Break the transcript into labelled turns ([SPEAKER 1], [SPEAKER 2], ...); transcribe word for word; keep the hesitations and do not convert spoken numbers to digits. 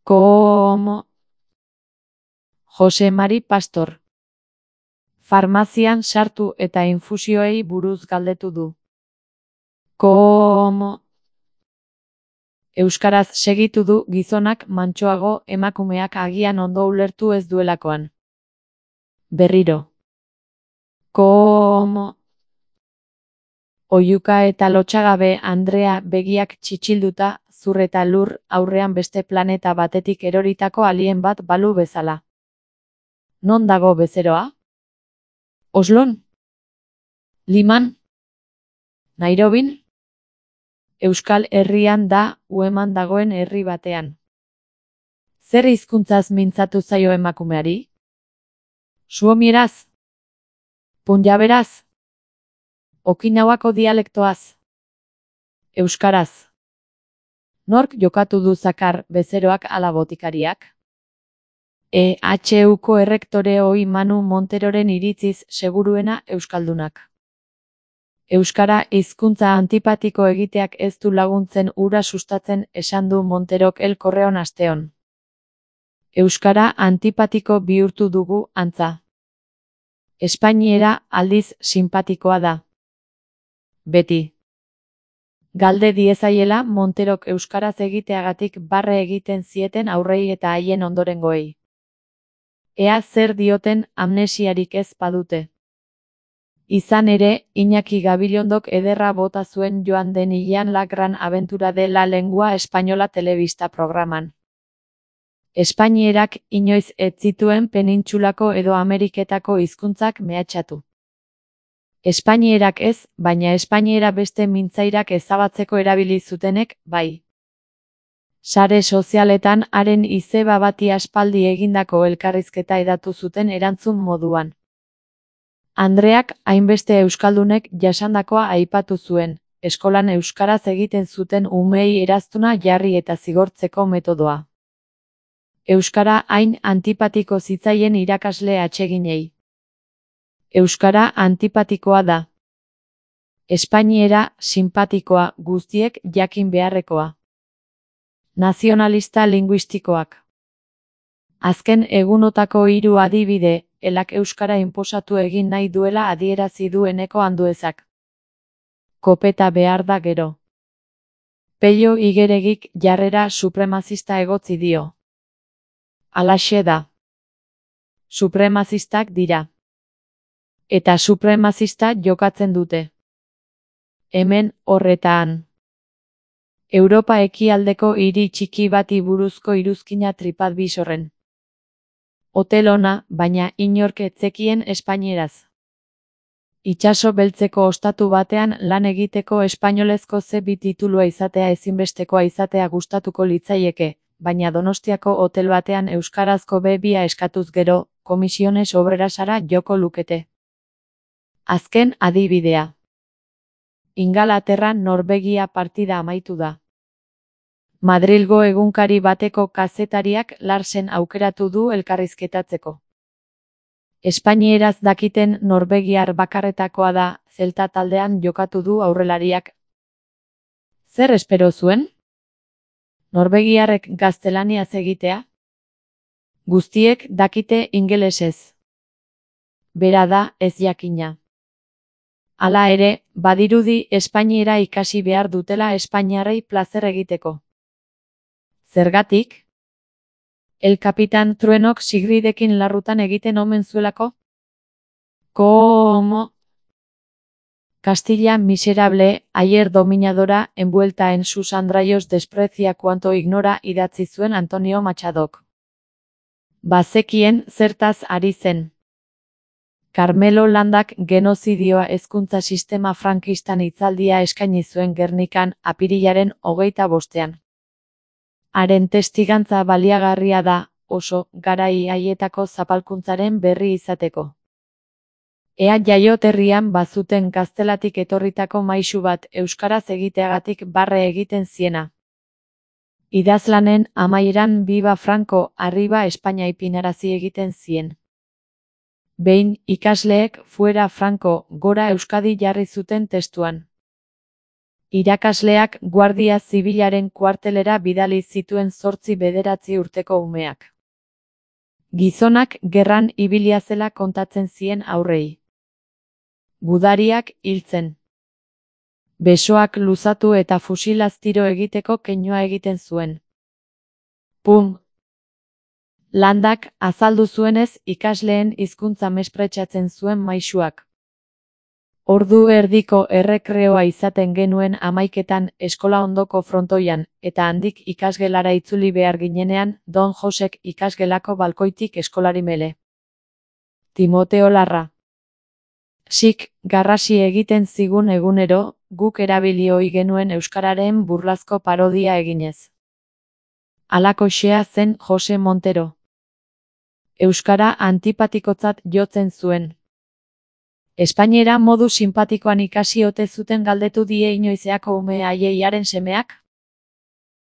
[SPEAKER 1] Como Jose Mari Pastor. Farmazian sartu eta infusioei buruz galdetu du. Como Euskaraz segitu du gizonak mantsoago, emakumeak agian ondo ulertu ez duelakoan. Berriro. Como Oihuka eta lotsagabe Andrea begiak txitxilduta, zur eta lur, aurrean beste planeta batetik eroritako alien bat balu bezala. Non dago bezeroa? Oslon? Liman? Nairobin? Euskal Herrian da, Ueman dagoen herri batean. Zer hizkuntzaz mintzatu zaio emakumeari? Suomieraz? Punjaberaz? Okinawako dialektoaz? Euskaraz. Nork jokatu du zakar, bezeroak ala botikariak? E H Uko errektore ohi Manu Monteroren iritziz seguruena euskaldunak. Euskara hizkuntza antipatiko egiteak ez du laguntzen hura sustatzen, esan du Monterok El Correon asteon. Euskara antipatiko bihurtu dugu, antza. Espainiera aldiz sinpatikoa da. Beti. Galde diezaiela Monterok euskaraz egiteagatik barre egiten zieten aurrei eta haien ondorengoei. Ea zer dioten amnesiarik ez badute. Izan ere, Iñaki Gabilondok ederra bota zuen joan den hilean La Gran Aventura de la Lengua Española telebista programan. Espainierak inoiz ez zituen penintsulako edo Ameriketako hizkuntzak mehatxatu. Espainierak ez, baina espainiera beste mintzairak ezabatzeko erabili zutenek, bai. Sare sozialetan haren izeba bati aspaldi egindako elkarrizketa hedatu zuten erantzun moduan. Andreak hainbeste euskaldunek jasandakoa aipatu zuen, eskolan euskaraz egiten zuten umeei eraztuna jarri eta zigortzeko metodoa. Euskara hain antipatiko zitzaien irakasle atseginei. Euskara antipatikoa da. Espainiera sinpatikoa, guztiek jakin beharrekoa. Nazionalista linguistikoak. Azken egunotako hiru adibide, elak euskara inposatu egin nahi duela adierazi du Eneko Anduezak. Kopeta behar da gero. Pello Igeregik jarrera supremazista egotzi dio. Halaxe da. Supremazistak dira. Eta supremazista jokatzen dute. Hemen, horretan. Europa ekialdeko hiri txiki bati buruzko iruzkina TripAdvisorren. Hotel ona, baina inork ez zekien espainieraz. Itsaso beltzeko ostatu batean lan egiteko espainolezko ze bi titulua izatea ezinbestekoa izatea gustatuko litzaieke, baina Donostiako hotel batean euskarazko be bia eskatuz gero, Comisiones Obrerasara joko lukete. Azken adibidea. Ingalaterran Norvegia partida amaitu da. Madrilgo egunkari bateko kazetariak Larsen aukeratu du elkarrizketatzeko. Espainieraz dakiten norvegiar bakarretakoa da, Zelta taldean jokatu du aurrelariak. Zer espero zuen? Norvegiarrek gaztelaniaz egitea? Guztiek dakite ingelesez. Bera da ez jakina. Hala ere, badirudi espainiera ikasi behar dutela espainiarrei plazer egiteko. Zergatik? El Kapitan Truenok Sigridekin larrutan egiten omen zuelako? Como Castilla miserable, ayer dominadora, envuelta en sus andrayos desprecia cuanto ignora idatzi zuen Antonio Machadok. Bazekien zertaz ari zen. Carmelo Landak genozidioa hezkuntza sistema frankistan hitzaldia eskaini zuen Gernikan, apirilaren hogeita bostean. Haren testigantza baliagarria da, oso, garai haietako zapalkuntzaren berri izateko. Ea jaioterrian bazuten gaztelatik etorritako maisu bat euskaraz egiteagatik barre egiten ziena. Idazlanen amaieran Biba Franco, arriba Espainia ipinarazi egiten zien. Behin, ikasleek fuera Franco, gora Euskadi jarri zuten testuan. Irakasleak Guardia Zibilaren kuartelera bidali zituen zortzi bederatzi urteko umeak. Gizonak gerran ibilia zela kontatzen zien aurrei. Gudariak hiltzen. Besoak luzatu eta fusilaz tiro egiteko keinua egiten zuen. Pum! Landak azaldu zuenez ikasleen hizkuntza mespretxatzen zuen maisuak. Ordu erdiko errekreoa izaten genuen hamaiketan eskola ondoko frontoian, eta handik ikasgelara itzuli behar ginenean, Don Josek ikasgelako balkoitik eskolari mele. Timoteo Larra. Sik, garrasi egiten zigun egunero, guk erabili ohi genuen euskararen burlazko parodia eginez. Halakoxea zen Jose Montero. Euskara antipatikotzat jotzen zuen. Espainiera modu sinpatikoan ikasi ote zuten galdetu die inoizeako ume haiei haren semeak?